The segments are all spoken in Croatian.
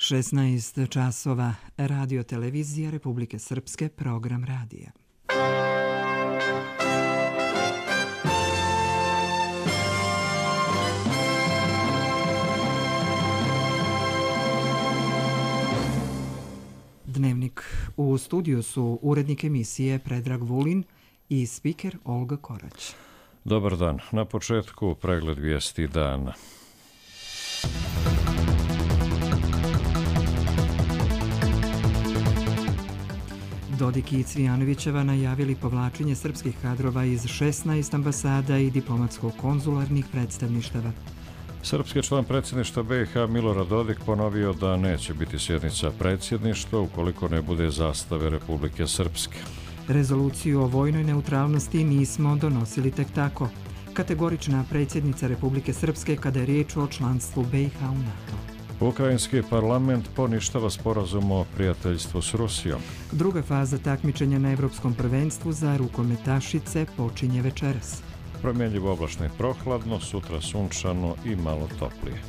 16 časova, Radio Televizija Republike Srpske, program radija. Dnevnik. U studiju su urednik emisije Predrag Vulin i spiker Olga Korać. Dobar dan. Na početku pregled vijesti dana. Dodik i Cvijanovićeva najavili povlačenje srpskih kadrova iz 16 ambasada i diplomatsko-konzularnih predstavništava. Srpski član predsjedništva BiH Milorad Dodik ponovio da neće biti sjednica predsjedništva ukoliko ne bude zastave Republike Srpske. Rezoluciju o vojnoj neutralnosti nismo donosili tek tako. Kategorična predsjednica Republike Srpske kada je riječ o članstvu BiH u NATO. Ukrajinski parlament poništava sporazum o prijateljstvu s Rusijom. Druga faza takmičenja na Evropskom prvenstvu za rukometašice počinje večeras. Promjenjivo oblačno i prohladno, sutra sunčano i malo toplije.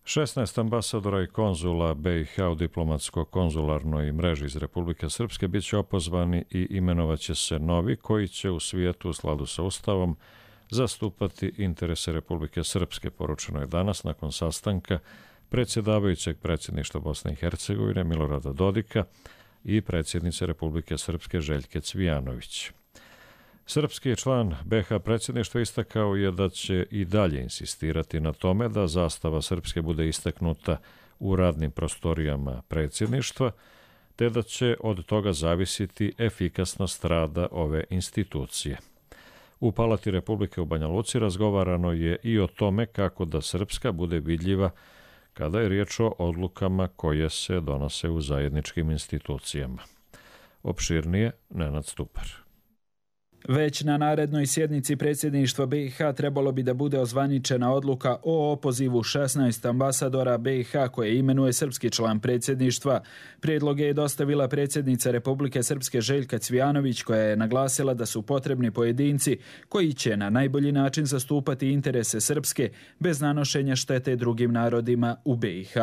Šesnaest ambasadora i konzula BiH u diplomatsko-konzularnoj mreži iz Republike Srpske bit će opozvani i imenovaće se novi koji će u svijetu u skladu sa Ustavom zastupati interese Republike Srpske, poručeno je danas nakon sastanka predsjedavajućeg predsjedništva Bosne i Hercegovine Milorada Dodika i predsjednice Republike Srpske Željke Cvijanović. Srpski član BiH predsjedništva istakao je da će i dalje insistirati na tome da zastava Srpske bude istaknuta u radnim prostorijama predsjedništva, te da će od toga zavisiti efikasnost rada ove institucije. U Palati Republike u Banja Luci razgovarano je i o tome kako da Srpska bude vidljiva kada je riječ o odlukama koje se donose u zajedničkim institucijama. Opširnije Nenad Stupar. Već na narednoj sjednici predsjedništva BiH trebalo bi da bude ozvaničena odluka o opozivu 16 ambasadora BiH koje imenuje srpski član predsjedništva. Prijedloge je dostavila predsjednica Republike Srpske Željka Cvijanović koja je naglasila da su potrebni pojedinci koji će na najbolji način zastupati interese Srpske bez nanošenja štete drugim narodima u BiH.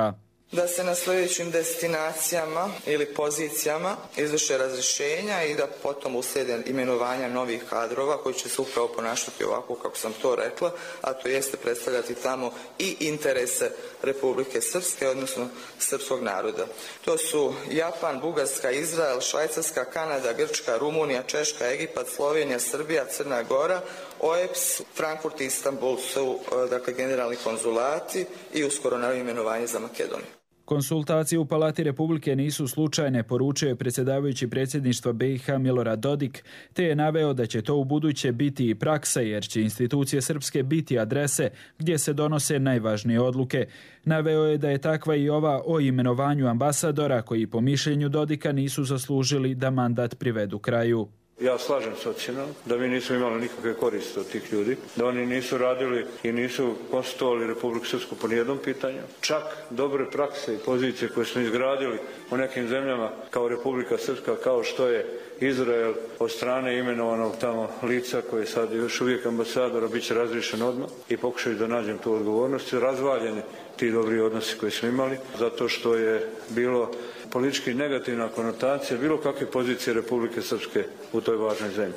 Da se na sljedećim destinacijama ili pozicijama izvrše razrješenja i da potom uslijede imenovanja novih kadrova koji će se upravo ponašati ovako kako sam to rekla, a to jeste predstavljati tamo i interese Republike Srpske, odnosno srpskog naroda. To su Japan, Bugarska, Izrael, Švajcarska, Kanada, Grčka, Rumunija, Češka, Egipat, Slovenija, Srbija, Crna Gora, OEBS, Frankfurt i Istanbul su dakle generalni konzulati i uskoro naravno imenovanje za Makedoniju. Konsultacije u Palati Republike nisu slučajne, poručio je predsjedavajući predsjedništva BiH Milorad Dodik, te je naveo da će to u buduće biti i praksa jer će institucije Srpske biti adrese gdje se donose najvažnije odluke. Naveo je da je takva i ova o imenovanju ambasadora koji po mišljenju Dodika nisu zaslužili da mandat privedu kraju. Ja slažem s ocjenom da mi nismo imali nikakve koriste od tih ljudi, da oni nisu radili i nisu konstituovali Republiku Srpsku po nijednom pitanju. Čak dobre prakse i pozicije koje smo izgradili u nekim zemljama kao Republika Srpska, kao što je Izrael od strane imenovanog tamo lica koje je sad još uvijek ambasadora, bit će razriješen odmah i pokušaju da nađem tu odgovornost. Razvaljeni ti dobri odnosi koje smo imali, zato što je bilo politički negativna konotacija bilo kakve pozicije Republike Srpske u toj važnoj zemlji.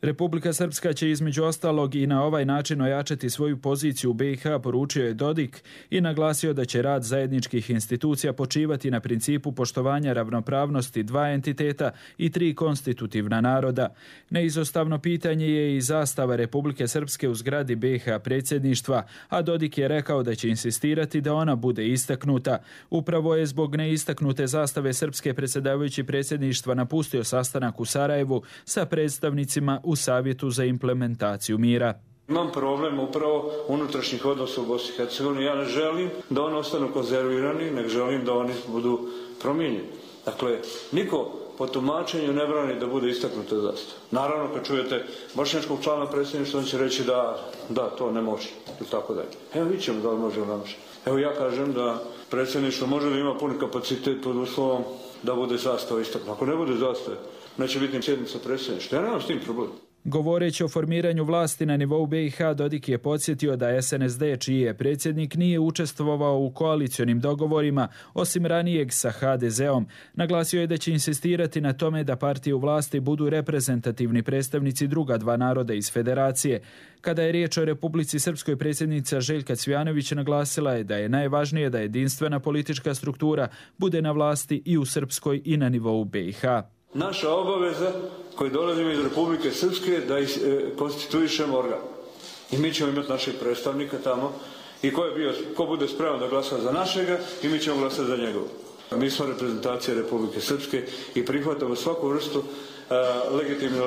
Republika Srpska će između ostalog i na ovaj način ojačati svoju poziciju u BiH, poručio je Dodik i naglasio da će rad zajedničkih institucija počivati na principu poštovanja ravnopravnosti dva entiteta i tri konstitutivna naroda. Neizostavno pitanje je i zastava Republike Srpske u zgradi BiH predsjedništva, a Dodik je rekao da će insistirati da ona bude istaknuta. Upravo je zbog neistaknute zastave Srpske predsjedavajući predsjedništva napustio sastanak u Sarajevu sa predstavnicima u Savjetu za implementaciju mira. Imam problem upravo unutrašnjih odnosa u Bosni i Hercegovini. Ja ne želim da oni ostanu konzervirani, nego želim da oni budu promijenjeni. Dakle, niko po tumačenju ne brani da bude istaknuta zastava. Naravno, kad čujete bošnjačkog člana predsjedništva, on će reći da to ne može. Ili tako dalje. Evo vidjet ćemo da li može ili ne može. Evo ja kažem da predsjedništvo može da ima puni kapacitet pod uslovom da bude zastava istaknuta. Ako ne bude zastave, neće biti sjednica predsjedništva. Ja nemam s tim problem. Govoreći o formiranju vlasti na nivou BiH, Dodik je podsjetio da SNSD, čiji je predsjednik, nije učestvovao u koalicionim dogovorima, osim ranijeg sa HDZ-om. Naglasio je da će insistirati na tome da partije u vlasti budu reprezentativni predstavnici druga dva naroda iz federacije. Kada je riječ o Republici Srpskoj, predsjednica Željka Cvijanović naglasila je da je najvažnije da jedinstvena politička struktura bude na vlasti i u Srpskoj i na nivou BiH. Naša obaveza koji dolazimo iz Republike Srpske da konstituišemo organ. I mi ćemo imati našeg predstavnika tamo i ko bude spreman da glasa za našega i mi ćemo glasati za njegov. Mi smo reprezentacija Republike Srpske i prihvatamo svaku vrstu legitimne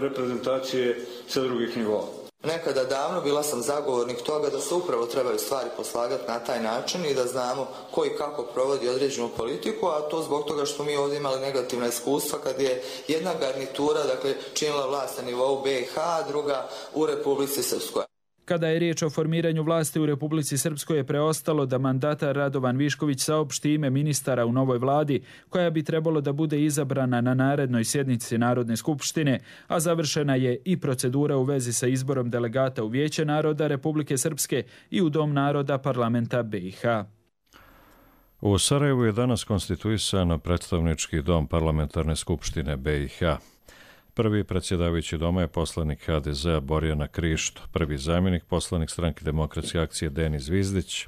reprezentacije sa drugih nivoa. Nekada davno bila sam zagovornik toga da se upravo trebaju stvari poslagati na taj način i da znamo ko i kako provodi određenu politiku, a to zbog toga što mi ovdje imali negativna iskustva kad je jedna garnitura činila vlast na nivou BiH, a druga u Republici Srpskoj. Kada je riječ o formiranju vlasti u Republici Srpskoj, je preostalo da mandatar Radovan Višković saopšti ime ministara u novoj vladi, koja bi trebalo da bude izabrana na narednoj sjednici Narodne skupštine, a završena je i procedura u vezi sa izborom delegata u Vijeće naroda Republike Srpske i u Dom naroda parlamenta BiH. U Sarajevu je danas konstituisan predstavnički dom parlamentarne skupštine BiH. Prvi predsjedavajući doma je poslanik HDZ-a Borjana Krišto, prvi zamjenik poslanik Stranke demokratske akcije Denis Zvizdić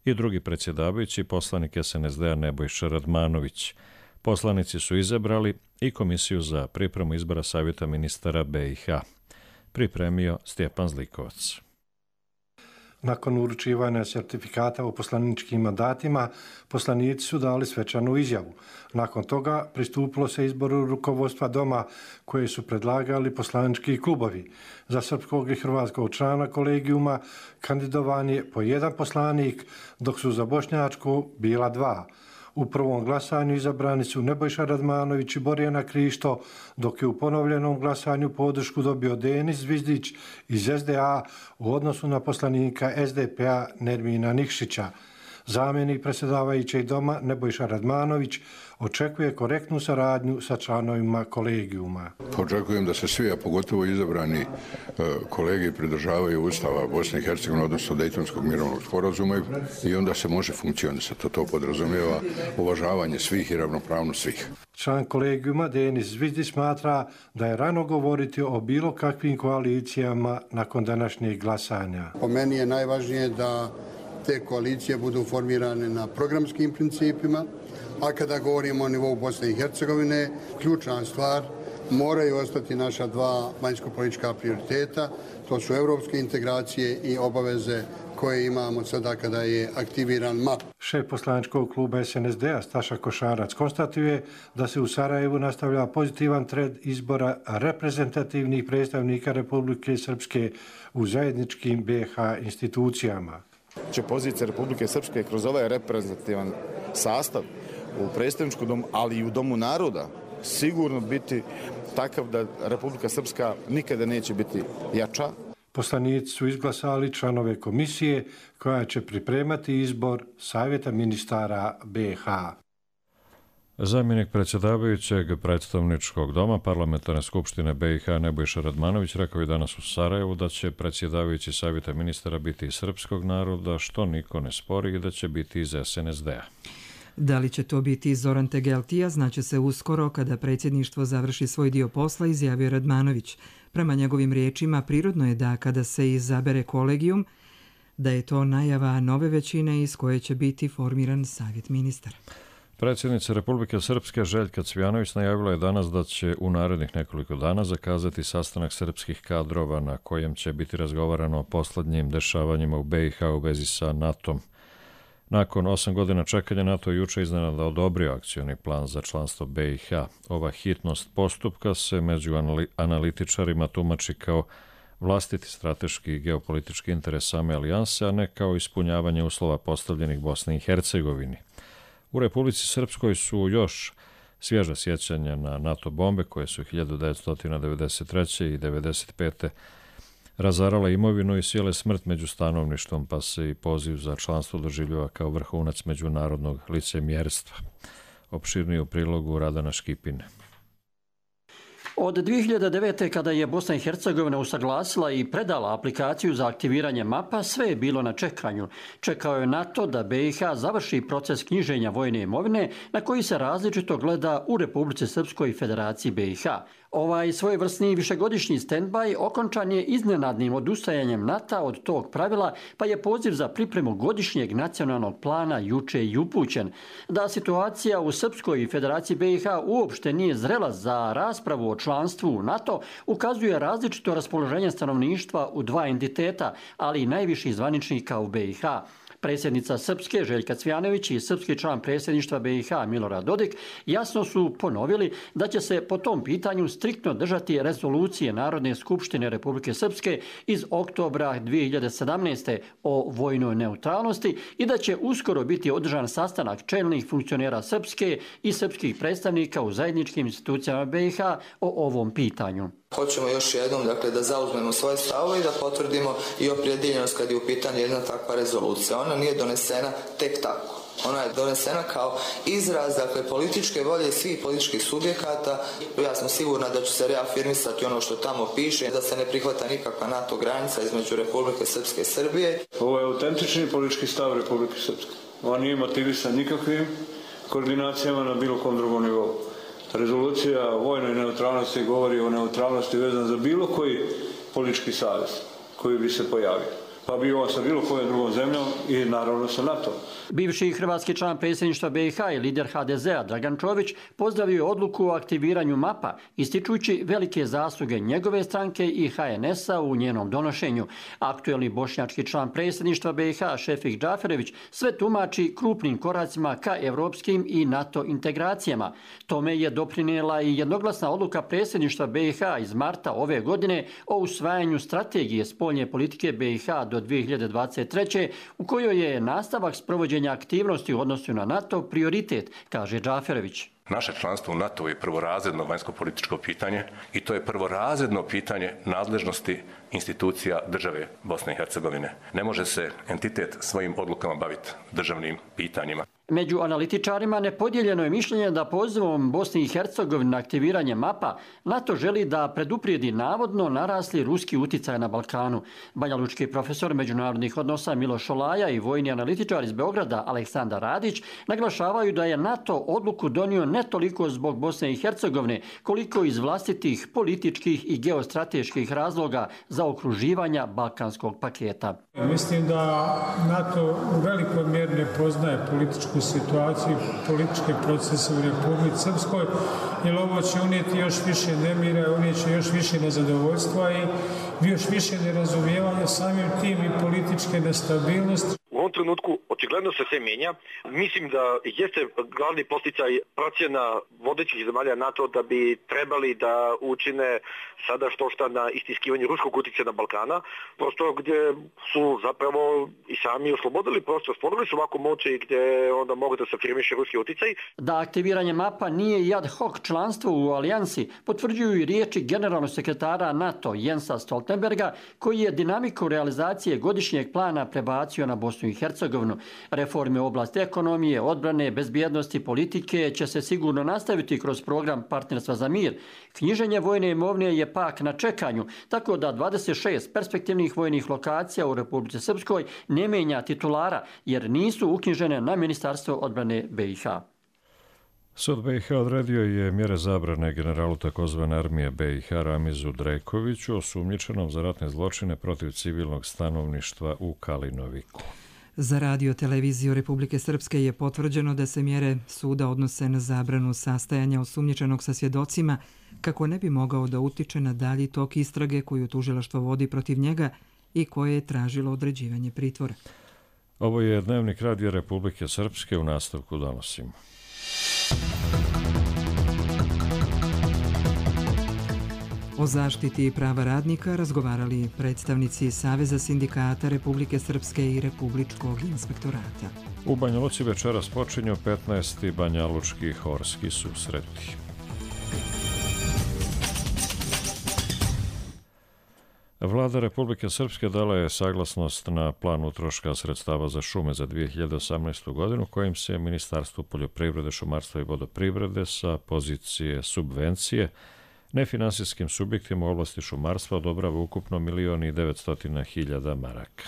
i drugi predsjedavajući poslanik SNSD-a Nebojša Radmanović. Poslanici su izabrali i komisiju za pripremu izbora Savjeta ministara BiH. Pripremio Stjepan Zlikovac. Nakon uručivanja sertifikata o poslaničkim mandatima, poslanici su dali svečanu izjavu. Nakon toga pristupilo se izboru rukovodstva doma koje su predlagali poslanički klubovi. Za srpskog i hrvatskog člana kolegijuma kandidovan je po jedan poslanik, dok su za bošnjačku bila dva. U prvom glasanju izabrani su Nebojša Radmanović i Borjana Krišto, dok je u ponovljenom glasanju podršku dobio Denis Zvizdić iz SDA u odnosu na poslanika SDP-a Nermina Nikšića. Zamjenik predsjedavajućeg doma Nebojša Radmanović očekuje korektnu saradnju sa članovima kolegijuma. Očekujem da se svi, a pogotovo izabrani kolegi pridržavaju Ustava Bosne i Hercegovine, odnosno Dejtonskog mirovnog sporazuma i onda se može funkcionisati. To podrazumijeva uvažavanje svih i ravnopravnost svih. Član kolegijuma Denis Zvizdić smatra da je rano govoriti o bilo kakvim koalicijama nakon današnjeg glasanja. Po meni je najvažnije da te koalicije budu formirane na programskim principima, a kada govorimo o nivou Bosne i Hercegovine, ključna stvar moraju ostati naša dva vanjsko-politička prioriteta, to su europske integracije i obaveze koje imamo sada kada je aktiviran MAP. Šef poslaničkog kluba SNSD-a Staša Košarac konstatuje da se u Sarajevu nastavlja pozitivan trend izbora reprezentativnih predstavnika Republike Srpske u zajedničkim BiH institucijama. Će pozicija Republike Srpske kroz ovaj reprezentativan sastav u predstavničkom domu, ali i u Domu naroda, sigurno biti takav da Republika Srpska nikada neće biti jača. Poslanici su izglasali članove komisije koja će pripremati izbor Savjeta ministara BiH. Zamjenik predsjedavajućeg predstavničkog doma parlamentarne skupštine BiH Nebojša Radmanović rekao je danas u Sarajevu da će predsjedavajući Savjeta ministara biti iz srpskog naroda, što niko ne spori, i da će biti iz SNSD-a. Da li će to biti Zoran Tegeltija, znaće se uskoro kada predsjedništvo završi svoj dio posla, izjavio Radmanović. Prema njegovim riječima, prirodno je da kada se izabere kolegijum, da je to najava nove većine iz koje će biti formiran Savjet ministara. Predsjednica Republike Srpske Željka Cvijanović najavila je danas da će u narednih nekoliko dana zakazati sastanak srpskih kadrova na kojem će biti razgovarano o posljednjim dešavanjima u BiH u vezi sa NATO-om. Nakon 8 godina čekanja, NATO je juče iznenada odobrio akcioni plan za članstvo BiH. Ova hitnost postupka se među analitičarima tumači kao vlastiti strateški i geopolitički interes same alijanse, a ne kao ispunjavanje uslova postavljenih Bosni i Hercegovini. U Republici Srpskoj su još svježa sjećanja na NATO bombe koje su 1993. i 1995. razarale imovinu i sjele smrt među stanovništvom, pa se i poziv za članstvo doživljava kao vrhunac međunarodnog licemjerstva. Opširnije u prilogu Radana Škipine. Od 2009. kada je Bosna i Hercegovina usaglasila i predala aplikaciju za aktiviranje mapa, sve je bilo na čekanju. Čekao je NATO da BiH završi proces knjiženja vojne imovine na koji se različito gleda u Republici Srpskoj i Federaciji BiH. Ovaj svojevrsni višegodišnji stand-by okončan je iznenadnim odustajanjem NATO od tog pravila, pa je poziv za pripremu godišnjeg nacionalnog plana juče i upućen. Da situacija u Srpskoj i Federaciji BiH uopšte nije zrela za raspravu o članstvu u NATO, ukazuje različito raspoloženje stanovništva u dva entiteta, ali i najviših zvaničnika u BiH. Predsjednica Srpske Željka Cvijanović i srpski član predsjedništva BiH Milorad Dodik jasno su ponovili da će se po tom pitanju striktno držati rezolucije Narodne skupštine Republike Srpske iz oktobra 2017. o vojnoj neutralnosti i da će uskoro biti održan sastanak čelnih funkcionera Srpske i srpskih predstavnika u zajedničkim institucijama BiH o ovom pitanju. Hoćemo još jednom da zauzmemo svoje stavove i da potvrdimo i opredijeljenost kad je u pitanju jedna takva rezolucija. Ona nije donesena tek tako. Ona je donesena kao izraz političke volje svih političkih subjekata. Ja sam sigurna da će se reafirmisati ono što tamo piše, da se ne prihvata nikakva NATO granica između Republike Srpske i Srbije. Ovo je autentični politički stav Republike Srpske. On nije motivisan nikakvim koordinacijama na bilo kom drugom nivou. Rezolucija o vojnoj neutralnosti govori o neutralnosti vezan za bilo koji politički savez koji bi se pojavio. Pa bi on sa bilo kojom drugom zemljom i naravno sa NATO. Bivši hrvatski član predsjedništva BiH i lider HDZ-a Dragan Čović pozdravio je odluku o aktiviranju mapa, ističući velike zasluge njegove stranke i HNS-a u njenom donošenju. Aktuelni bošnjački član predsjedništva BiH Šefik Džaferević sve tumači krupnim koracima ka evropskim i NATO integracijama. Tome je doprinijela i jednoglasna odluka predsjedništva BiH iz marta ove godine o usvajanju strategije spoljne politike BiH do 2023. u kojoj je nastavak sprovođenja aktivnosti u odnosu na NATO prioritet, kaže Džaferević. Naše članstvo u NATO je prvorazredno vanjsko-političko pitanje i to je prvorazredno pitanje nadležnosti institucija države Bosne i Hercegovine. Ne može se entitet svojim odlukama baviti državnim pitanjima. Među analitičarima nepodijeljeno je mišljenje da pozivom Bosne i Hercegovine na aktiviranje mapa NATO želi da preduprijedi navodno narasli ruski uticaj na Balkanu. Banjalučki profesor međunarodnih odnosa Miloš Šolaja i vojni analitičar iz Beograda Aleksandar Radić naglašavaju da je NATO odluku donio ne toliko zbog Bosne i Hercegovine, koliko iz vlastitih političkih i geostrateških razloga za okruživanja balkanskog paketa. Mislim da NATO u velikoj mjeri ne poznaje političku situaciju, političke procese u Republici Srpskoj, jer ovo će unijeti još više nemira, unijet će još više nezadovoljstva i još više nerazumijevanja, samim tim i političke nestabilnosti. U ovom trenutku očigledno se sve mijenja. Mislim da jeste glavni posticaj procjena vodećih zemalja NATO da bi trebali da učine sada što na istiskivanju ruskog utjecaja na Balkana, prosto gdje su zapravo i sami oslobodili prostor, stvorili su ovako moći gdje onda mogu da se afirmiše ruski utjecaj. Da aktiviranje mapa nije i ad hoc članstvo u alijansi, potvrđuju i riječi generalnog sekretara NATO Jensa Stoltenberga, koji je dinamiku realizacije godišnjeg plana prebacio na Bosnu i Hercegovinu. Reforme u oblasti ekonomije, odbrane, bezbjednosti, politike će se sigurno nastaviti kroz program Partnerstva za mir. Knjiženje vojne imovine je pak na čekanju, tako da 26 perspektivnih vojnih lokacija u Republici Srpskoj ne menja titulara, jer nisu uknjižene na Ministarstvo odbrane BiH. Sud BiH odredio je mjere zabrane generalu takozvane armije BiH Ramizu Drejkoviću, osumnjičenom za ratne zločine protiv civilnog stanovništva u Kalinoviku. Za radio televiziju Republike Srpske je potvrđeno da se mjere suda odnose na zabranu sastajanja osumnjičenog sa svjedocima kako ne bi mogao da utiče na dalji tok istrage koju tužilaštvo vodi protiv njega i koje je tražilo određivanje pritvora. Ovo je Dnevnik radija Republike Srpske, u nastavku donosimo. O zaštiti prava radnika razgovarali predstavnici Saveza sindikata Republike Srpske i Republičkog inspektorata. U Banja Luci večeras počinju 15. banjalučki horski susreti. Vlada Republike Srpske dala je saglasnost na plan utroška sredstava za šume za 2018. godinu, kojim se Ministarstvo poljoprivrede, šumarstva i vodoprivrede sa pozicije subvencije Nefinansijskim subjektima u oblasti šumarstva odobrava ukupno 1.900.000 maraka.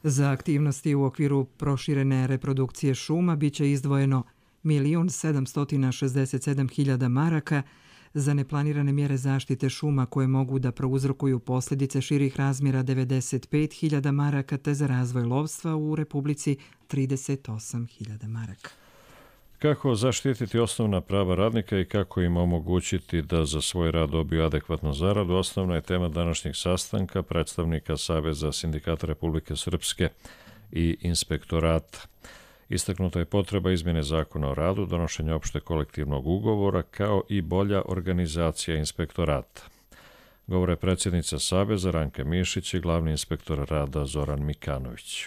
Za aktivnosti u okviru proširene reprodukcije šuma biće izdvojeno 1.767.000 maraka za neplanirane mjere zaštite šuma koje mogu da prouzrokuju posljedice širih razmjera 95.000 maraka te za razvoj lovstva u Republici 38.000 maraka. Kako zaštititi osnovna prava radnika i kako im omogućiti da za svoj rad dobiju adekvatnu zaradu, osnovna je tema današnjeg sastanka predstavnika Saveza sindikata Republike Srpske i inspektorata. Istaknuta je potreba izmjene zakona o radu, donošenja opšte kolektivnog ugovora, kao i bolja organizacija inspektorata. Govore predsjednica Saveza Ranka Mišić i glavni inspektor rada Zoran Mikanović.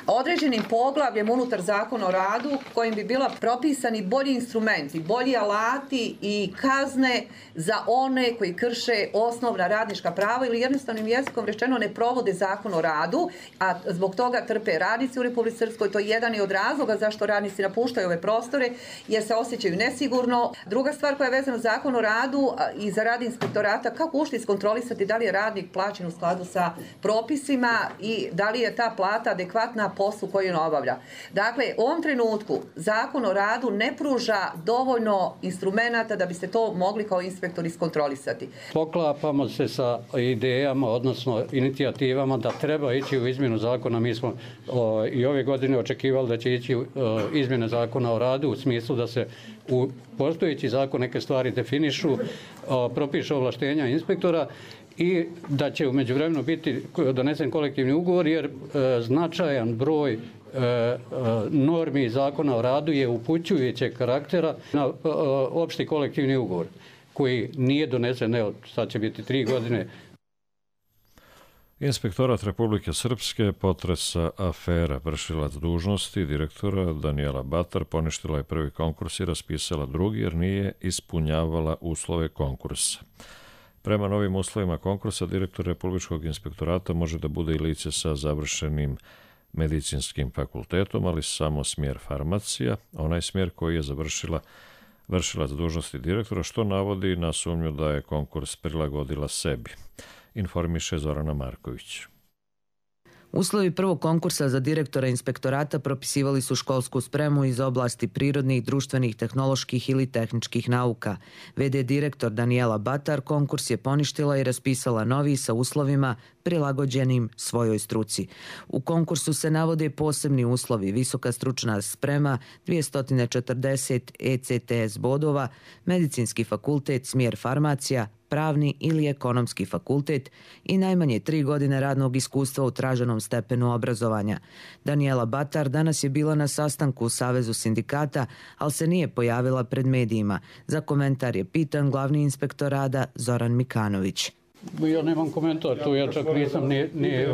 Određenim poglavljem unutar zakona o radu kojim bi bila propisani bolji instrumenti, bolji alati i kazne za one koji krše osnovna radnička prava ili jednostavnim jezikom rečeno ne provode zakon o radu, a zbog toga trpe radnici u Republici Srpskoj. To je jedan od razloga zašto radnici napuštaju ove prostore, jer se osjećaju nesigurno. Druga stvar koja je vezana za zakon o radu i za rad inspektorata, kako ušli iskontrolisati da li je radnik plaćen u skladu sa propisima i da li je ta plata adekvatna na poslu koju on obavlja. Dakle, u ovom trenutku zakon o radu ne pruža dovoljno instrumenata da biste to mogli kao inspektori iskontrolisati. Poklapamo se sa idejama, odnosno inicijativama da treba ići u izmjenu zakona. Mi smo i ove godine očekivali da će ići izmjene zakona o radu u smislu da se u postojeći zakon neke stvari definišu, propišu ovlaštenja inspektora i da će u međuvremenu biti donesen kolektivni ugovor, jer značajan broj normi zakona o radu je upućujućeg karaktera na opšti kolektivni ugovor koji nije donesen, evo sad će biti 3 godine. Inspektorat Republike Srpske potresa afera. Vršilac dužnosti direktora Danijela Batar poništila je prvi konkurs i raspisala drugi jer nije ispunjavala uslove konkursa. Prema novim uslovima konkursa, direktor Republičkog inspektorata može da bude i lice sa završenim medicinskim fakultetom, ali samo smjer farmacija, onaj smjer koji je završila vršilac dužnosti direktora, što navodi na sumnju da je konkurs prilagodila sebi. Informiše Zorana Marković. Uslovi prvog konkursa za direktora inspektorata propisivali su školsku spremu iz oblasti prirodnih, društvenih, tehnoloških ili tehničkih nauka. VD direktor Danijela Batar konkurs je poništila i raspisala novi sa uslovima prilagođenim svojoj struci. U konkursu se navode posebni uslovi: visoka stručna sprema, 240 ECTS bodova, medicinski fakultet, smjer farmacija, pravni ili ekonomski fakultet i najmanje 3 godine radnog iskustva u traženom stepenu obrazovanja. Danijela Batar danas je bila na sastanku u Savezu sindikata, ali se nije pojavila pred medijima. Za komentar je pitan glavni inspektor rada Zoran Mikanović. Ja nemam komentar tu, ja čak nisam ni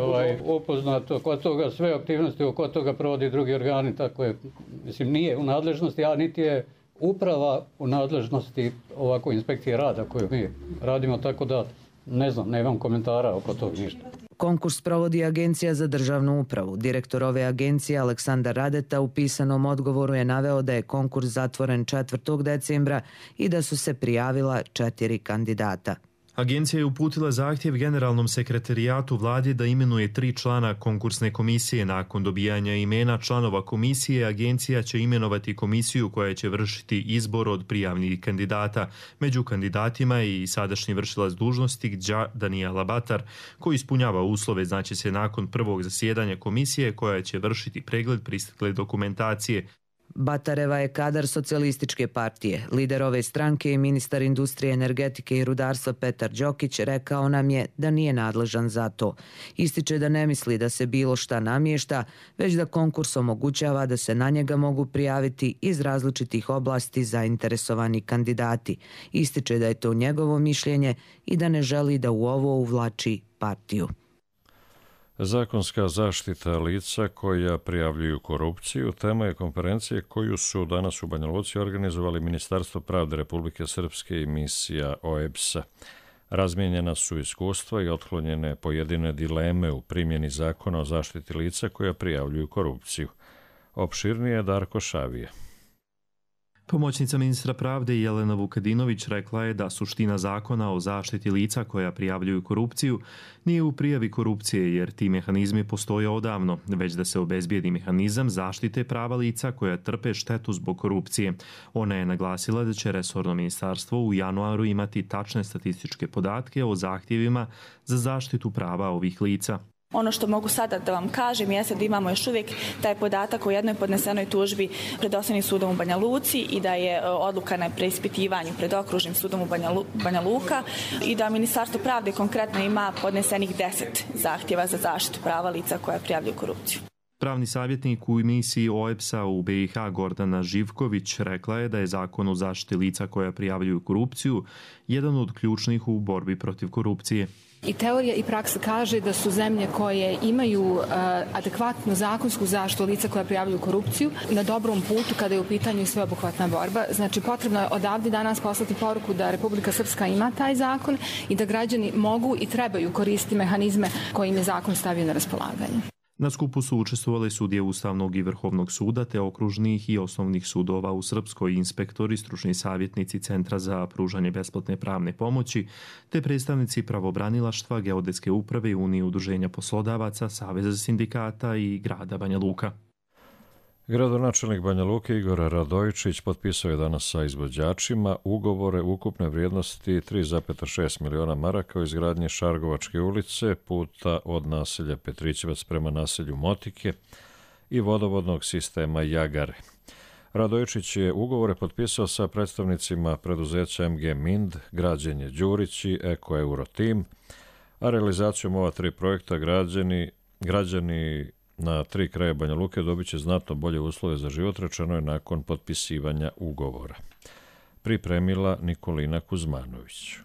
upoznat oko toga, sve aktivnosti oko toga provodi drugi organi, tako je, mislim, nije u nadležnosti, a niti je uprava u nadležnosti ovako inspekcije rada koju mi radimo, tako da ne znam, nemam komentara oko toga ništa. Konkurs provodi Agencija za državnu upravu. Direktor ove agencije Aleksandar Radeta u pisanom odgovoru je naveo da je konkurs zatvoren 4. decembra i da su se prijavila 4 kandidata. Agencija je uputila zahtjev generalnom sekretarijatu vlade da imenuje 3 člana konkursne komisije. Nakon dobijanja imena članova komisije, agencija će imenovati komisiju koja će vršiti izbor od prijavnih kandidata. Među kandidatima je i sadašnji vršilac dužnosti Danijela Batar, koji ispunjava uslove, znači se nakon prvog zasjedanja komisije koja će vršiti pregled pristigle dokumentacije. Batareva je kadar socijalističke partije. Lider ove stranke i ministar industrije, energetike i rudarstva Petar Đokić rekao nam je da nije nadležan za to. Ističe da ne misli da se bilo šta namješta, već da konkurs omogućava da se na njega mogu prijaviti iz različitih oblasti zainteresovani kandidati. Ističe da je to njegovo mišljenje i da ne želi da u ovo uvlači partiju. Zakonska zaštita lica koja prijavljuju korupciju tema je konferencije koju su danas u Banja Luci organizovali Ministarstvo pravde Republike Srpske i misija OEBS-a. Razmijenjena su iskustva i otklonjene pojedine dileme u primjeni zakona o zaštiti lica koja prijavljuju korupciju. Opširnije Darko Šavije. Pomoćnica ministra pravde Jelena Vukadinović rekla je da suština zakona o zaštiti lica koja prijavljuju korupciju nije u prijavi korupcije jer ti mehanizmi postoje odavno, već da se obezbijedi mehanizam zaštite prava lica koja trpe štetu zbog korupcije. Ona je naglasila da će resorno ministarstvo u januaru imati tačne statističke podatke o zahtjevima za zaštitu prava ovih lica. Ono što mogu sada da vam kažem jeste da imamo još uvijek taj podatak o jednoj podnesenoj tužbi pred Osnovnim sudom u Banja Luci i da je odluka na preispitivanju pred Okružnim sudom u Banja Luka i da Ministarstvo pravde konkretno ima podnesenih 10 zahtjeva za zaštitu prava lica koja prijavljuju korupciju. Pravni savjetnik u misiji OEBS-a u BiH Gordana Živković rekla je da je zakon o zaštiti lica koja prijavljuju korupciju jedan od ključnih u borbi protiv korupcije. I teorija i praksa kaže da su zemlje koje imaju adekvatnu zakonsku zaštitu lica koja prijavljuju korupciju na dobrom putu kada je u pitanju sveobuhvatna borba. Znači potrebno je odavde danas poslati poruku da Republika Srpska ima taj zakon i da građani mogu i trebaju koristiti mehanizme koje im je zakon stavio na raspolaganje. Na skupu su učestvovali sudije Ustavnog i Vrhovnog suda te okružnih i osnovnih sudova u Srpskoj, inspektori, stručni savjetnici Centra za pružanje besplatne pravne pomoći te predstavnici pravobranilaštva, Geodetske uprave, Unije udruženja poslodavaca, Saveza sindikata i grada Banja Luka. Gradonačelnik Banja Luke Igor Radojičić potpisao je danas sa izvođačima ugovore ukupne vrijednosti 3,6 miliona maraka o izgradnji Šargovačke ulice, puta od naselja Petrićevac prema naselju Motike i vodovodnog sistema Jagare. Radojičić je ugovore potpisao sa predstavnicima preduzeća MG Mind, Građenje Đurić i Eko Eurotim, a realizacijom ova 3 projekta građani na 3 kraja Banja Luke dobit će znatno bolje uslove za život, rečeno je nakon potpisivanja ugovora. Pripremila Nikolina Kuzmanović.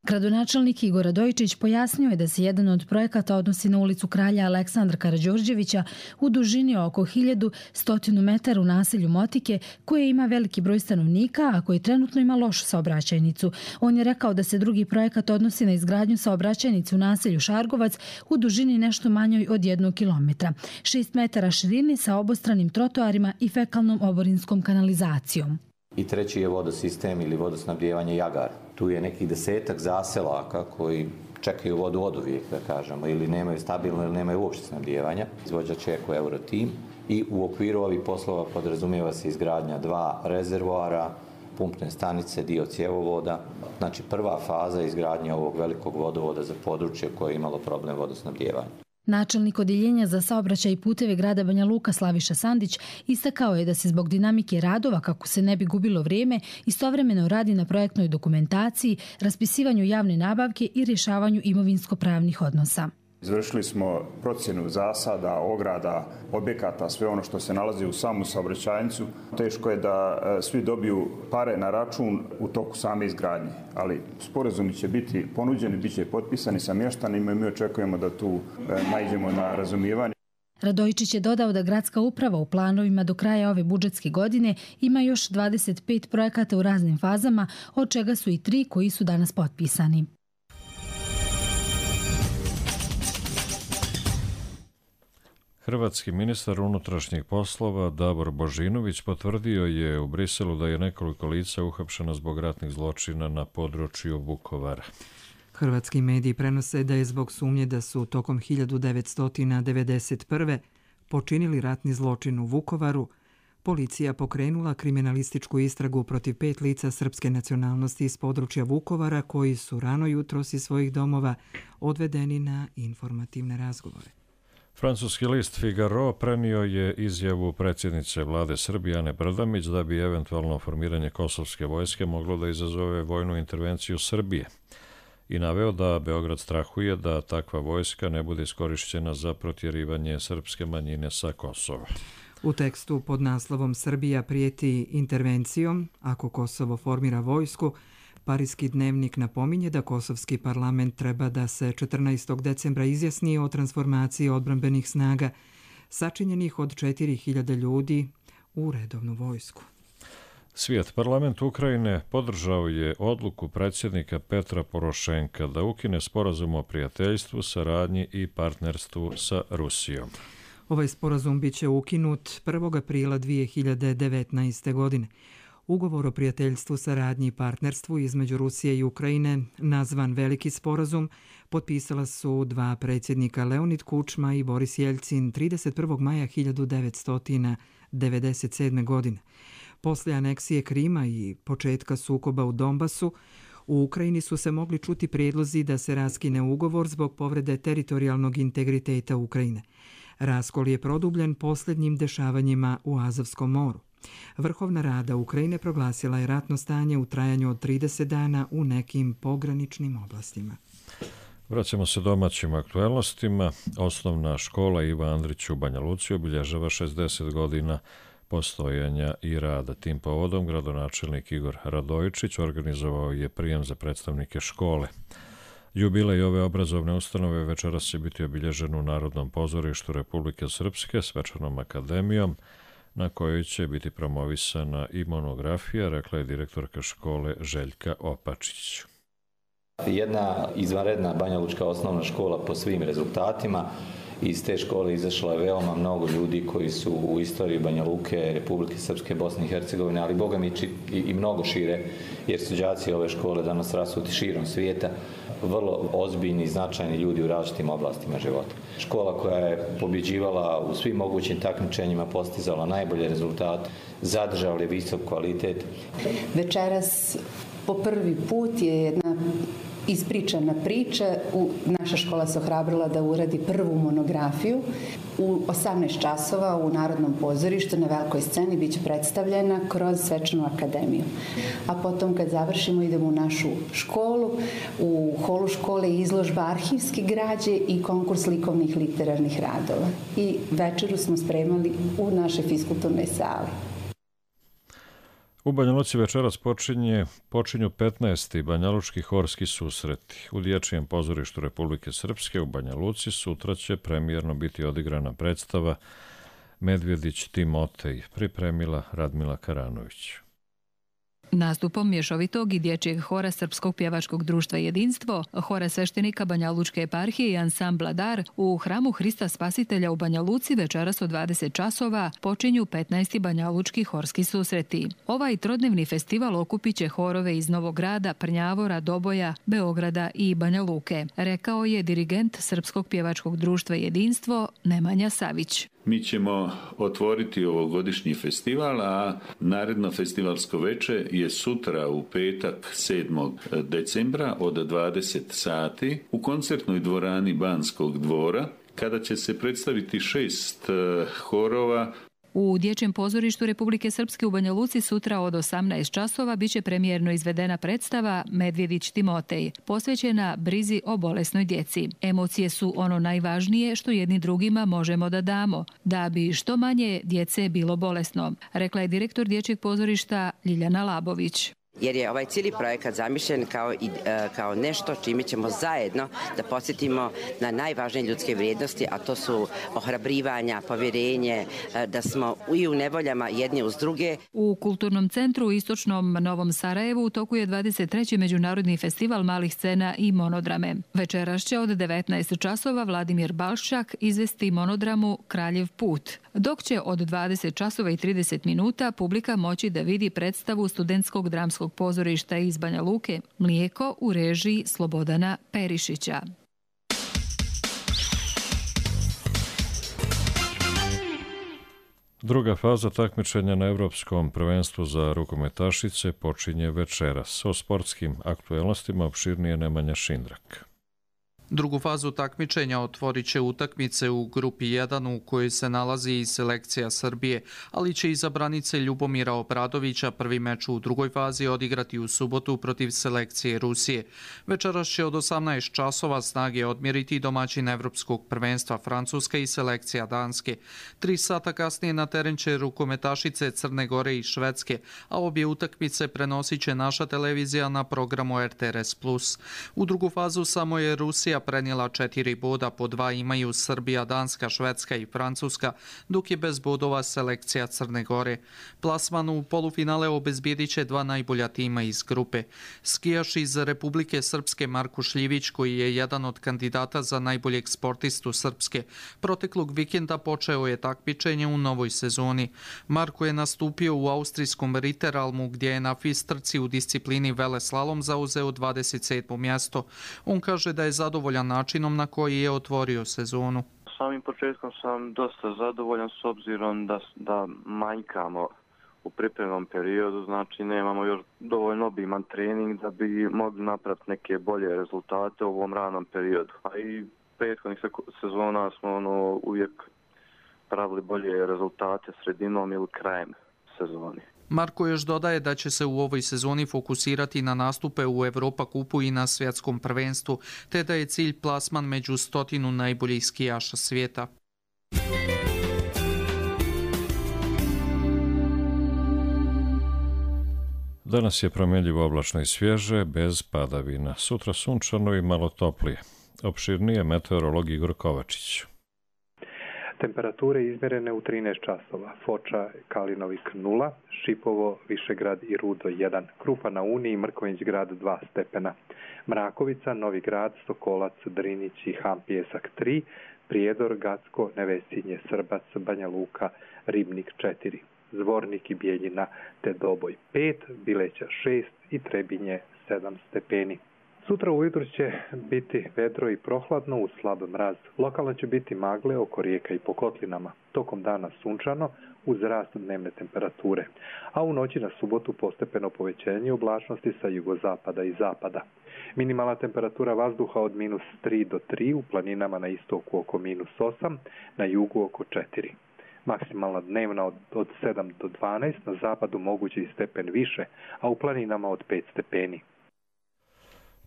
Gradonačelnik Igor Radojičić pojasnio je da se jedan od projekata odnosi na ulicu Kralja Aleksandra Karađorđevića u dužini oko 1100 metara u naselju Motike, koje ima veliki broj stanovnika, a koji trenutno ima lošu saobraćajnicu. On je rekao da se drugi projekat odnosi na izgradnju saobraćajnice u naselju Šargovac u dužini nešto manjoj od 1 kilometra, 6 metara širine sa obostranim trotoarima i fekalnom oborinskom kanalizacijom. I treći je vodosistem ili vodosnabdijevanje Jagar. Tu je nekih 10 zaselaka koji čekaju vodu od uvijek, da kažemo, ili nemaju stabilno ili nemaju uopšte snabdijevanja. Izvođač je Eko Eurotim i u okviru ovih poslova podrazumijeva se izgradnja 2 rezervoara, pumpne stanice, dio cjevovoda. Znači prva faza je izgradnja ovog velikog vodovoda za područje koje je imalo problem vodosnabdijevanja. Načelnik odjeljenja za saobraćaj i puteve grada Banja Luka Slaviša Sandić istakao je da se zbog dinamike radova, kako se ne bi gubilo vrijeme, istovremeno radi na projektnoj dokumentaciji, raspisivanju javne nabavke i rješavanju imovinsko-pravnih odnosa. Izvršili smo procjenu zasada, ograda, objekata, sve ono što se nalazi u samu saobraćajnicu. Teško je da svi dobiju pare na račun u toku same izgradnje, ali sporazumi će biti ponuđeni, bit će potpisani sa mještanima i mi očekujemo da tu naiđemo na razumijevanje. Radojičić je dodao da gradska uprava u planovima do kraja ove budžetske godine ima još 25 projekata u raznim fazama, od čega su i 3 koji su danas potpisani. Hrvatski ministar unutrašnjih poslova Davor Božinović potvrdio je u Briselu da je nekoliko lica uhapšeno zbog ratnih zločina na području Vukovara. Hrvatski mediji prenose da je zbog sumnje da su tokom 1991. počinili ratni zločin u Vukovaru, policija pokrenula kriminalističku istragu protiv 5 lica srpske nacionalnosti iz područja Vukovara koji su rano jutros iz svojih domova odvedeni na informativne razgovore. Francuski list Figaro prenio je izjavu predsjednice vlade Srbije Ane Brnabić da bi eventualno formiranje kosovske vojske moglo da izazove vojnu intervenciju Srbije i naveo da Beograd strahuje da takva vojska ne bude iskorišćena za protjerivanje srpske manjine sa Kosova. U tekstu pod naslovom Srbija prijeti intervencijom ako Kosovo formira vojsku, Parijski dnevnik napominje da kosovski parlament treba da se 14. decembra izjasni o transformaciji odbrambenih snaga sačinjenih od 4000 ljudi u redovnu vojsku. Svijet parlament Ukrajine podržao je odluku predsjednika Petra Porošenka da ukine sporazum o prijateljstvu, saradnji i partnerstvu sa Rusijom. Ovaj sporazum biće ukinut 1. aprila 2019. godine. Ugovor o prijateljstvu, saradnji i partnerstvu između Rusije i Ukrajine, nazvan Veliki sporazum, potpisala su dva predsjednika Leonid Kučma i Boris Jeljcin 31. maja 1997. godine. Poslije aneksije Krima i početka sukoba u Donbasu, u Ukrajini su se mogli čuti prijedlozi da se raskine ugovor zbog povrede teritorijalnog integriteta Ukrajine. Raskol je produbljen posljednjim dešavanjima u Azovskom moru. Vrhovna rada Ukrajine proglasila je ratno stanje u trajanju od 30 dana u nekim pograničnim oblastima. Vraćamo se domaćim aktuelnostima. Osnovna škola Iva Andrić u Banja Luci obilježava 60 godina postojanja i rada. Tim povodom gradonačelnik Igor Radojičić organizovao je prijem za predstavnike škole. Jubilej ove obrazovne ustanove večeras će biti obilježen u Narodnom pozorištu Republike Srpske svečanom akademijom, na kojoj će biti promovisana i monografija, rekla je direktorka škole Željka Opačić. Jedna izvanredna banjalučka osnovna škola po svim rezultatima. Iz te škole izašlo je veoma mnogo ljudi koji su u istoriji Banja Luke, Republike Srpske, Bosne i Hercegovine, ali boga mi i mnogo šire, jer su đaci ove škole danas rasuti širom svijeta, vrlo ozbiljni i značajni ljudi u različitim oblastima života. Škola koja je pobjeđivala u svim mogućim takmičenjima, postizala najbolje rezultate, zadržala je visok kvalitet. Večeras po prvi put je jedna ispričana priča. Naša škola se ohrabrila da uradi prvu monografiju. U 18 časova u Narodnom pozorištu na velikoj sceni biće predstavljena kroz svečanu akademiju. A potom kad završimo idemo u našu školu. U holu škole je izložba arhivske građe i konkurs likovnih literarnih radova. I večeru smo spremali u našoj fiskulturnoj sali. U Banja Luci večeras počinju 15. banjalučki horski susreti. U Dječjem pozorištu Republike Srpske u Banja Luci sutra će premijerno biti odigrana predstava Medvjedić Timotej, pripremila Radmila Karanović. Nastupom mješovitog i dječjeg hora Srpskog pjevačkog društva Jedinstvo, hora sveštenika Banja Lučke eparhije i ansambla Dar u hramu Hrista Spasitelja u Banja Luci večeras od 20 časova počinju 15. banjalučki horski susreti. Ovaj trodnevni festival okupit će horove iz Novog Grada, Prnjavora, Doboja, Beograda i Banja Luke, rekao je dirigent Srpskog pjevačkog društva Jedinstvo Nemanja Savić. Mi ćemo otvoriti ovogodišnji festival, a naredno festivalsko veče je sutra u petak 7. decembra od 20 sati u koncertnoj dvorani Banskog dvora, kada će se predstaviti 6 horova. U Dječjem pozorištu Republike Srpske u Banja Luci sutra od 18 časova biće premijerno izvedena predstava Medvjedić Timotej, posvećena brizi o bolesnoj djeci. Emocije su ono najvažnije što jedni drugima možemo da damo, da bi što manje djece bilo bolesno, rekla je direktor Dječjeg pozorišta Ljiljana Labović. Jer je ovaj cijeli projekat zamišljen kao nešto čime ćemo zajedno da podsjetimo na najvažnije ljudske vrijednosti, a to su ohrabrivanja, povjerenje, da smo i u nevoljama jedni uz druge. U Kulturnom centru u istočnom Novom Sarajevu u toku je 23. Međunarodni festival malih scena i monodrame. Večeras će od 19 časova Vladimir Balščak izvesti monodramu Kraljev put, dok će od 20 časova i 30 minuta publika moći da vidi predstavu studentskog dramskog pozorišta iz Banja Luke Mlijeko u režiji Slobodana Perišića. Druga faza takmičenja na Evropskom prvenstvu za rukometašice počinje večeras. O sportskim aktuelnostima opširnije Nemanja Šindrak. Drugu fazu takmičenja otvorit će utakmice u grupi 1 u kojoj se nalazi i selekcija Srbije, ali će i za branice Ljubomira Obradovića prvi meč u drugoj fazi odigrati u subotu protiv selekcije Rusije. Večeras će od 18 časova snage odmjeriti domaćin Evropskog prvenstva Francuska i selekcija Danske. 3 sata kasnije na teren će rukometašice Crne Gore i Švedske, a obje utakmice prenosit će naša televizija na programu RTRS+. U drugu fazu samo je Rusija Austrija prenijela 4 boda, po 2 imaju Srbija, Danska, Švedska i Francuska, dok je bez bodova selekcija Crne Gore. Plasman u polufinale obezbijedit će 2 najbolja tima iz grupe. Skijaš iz Republike Srpske Marko Šljivić, koji je jedan od kandidata za najboljeg sportistu Srpske, proteklog vikenda počeo je takmičenje u novoj sezoni. Marko je nastupio u austrijskom Ritteralmu, gdje je na FIS trci u disciplini veleslalom zauzeo 27. mjesto. On kaže da je zadovoljan načinom na koji je otvorio sezonu. Samim početkom sam dosta zadovoljan s obzirom da manjkamo u pripremnom periodu, znači nemamo još dovoljno obiman trening da bi mogli napraviti neke bolje rezultate u ovom ranom periodu. A i prethodnih sezona smo uvijek pravili bolje rezultate sredinom ili krajem sezoni. Marko još dodaje da će se u ovoj sezoni fokusirati na nastupe u Evropa kupu i na svjetskom prvenstvu, te da je cilj plasman među 100 najboljih skijaša svijeta. Danas je promjenljivo oblačno i svježe, bez padavina. Sutra sunčano i malo toplije. Opširnije meteorolog Igor Kovačić. Temperature izmjerene u 13 časova. Foča, Kalinovik 0, Šipovo, Višegrad i Rudo 1, Krupa na Uni i Mrkonjić grad 2 stepena. Mrakovica, Novi grad, Sokolac, Drinić i Ham Pjesak 3, Prijedor, Gacko, Nevesinje, Srbac, Banja Luka, Ribnik 4, Zvornik i Bijeljina te Doboj 5, Bileća 6 i Trebinje 7 stepeni. Sutra ujutro će biti vedro i prohladno uz slab mraz. Lokalno će biti magle oko rijeka i po kotlinama. Tokom dana sunčano uz rast dnevne temperature. A u noći na subotu postepeno povećanje oblačnosti sa jugozapada i zapada. Minimalna temperatura vazduha od -3 do 3, u planinama na istoku oko -8, na jugu oko 4. Maksimalna dnevna od 7 do 12, na zapadu moguće i stepen više, a u planinama od 5 stepeni.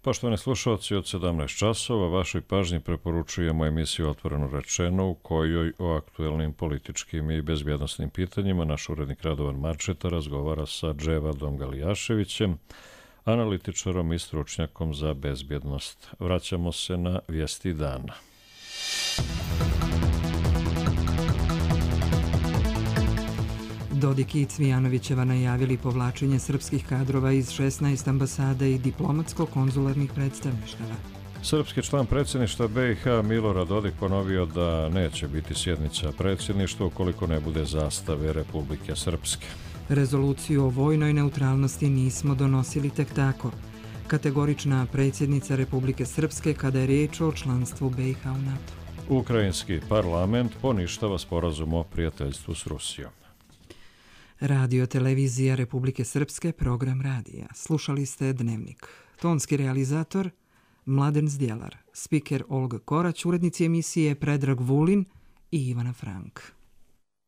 Poštovani slušalci, od 17 časova vašoj pažnji preporučujemo emisiju Otvoreno rečeno, u kojoj o aktuelnim političkim i bezbjednosnim pitanjima naš urednik Radovan Marčeta razgovara sa Dževadom Galijaševićem, analitičarom i stručnjakom za bezbjednost. Vraćamo se na vijesti dana. Dodik i Cvijanovićeva najavili povlačenje srpskih kadrova iz 16 ambasada i diplomatsko-konzularnih predstavništava. Srpski član predsjedništva BiH Milorad Dodik ponovio da neće biti sjednica predsjedništva ukoliko ne bude zastave Republike Srpske. Rezoluciju o vojnoj neutralnosti nismo donosili tek tako. Kategorična predsjednica Republike Srpske kada je riječ o članstvu BiH u NATO. Ukrajinski parlament poništava sporazum o prijateljstvu s Rusijom. Radio televizija Republike Srpske, program radija. Slušali ste Dnevnik. Tonski realizator Mladen Zdjelar, spiker Olga Korać, urednici emisije Predrag Vulin i Ivana Frank.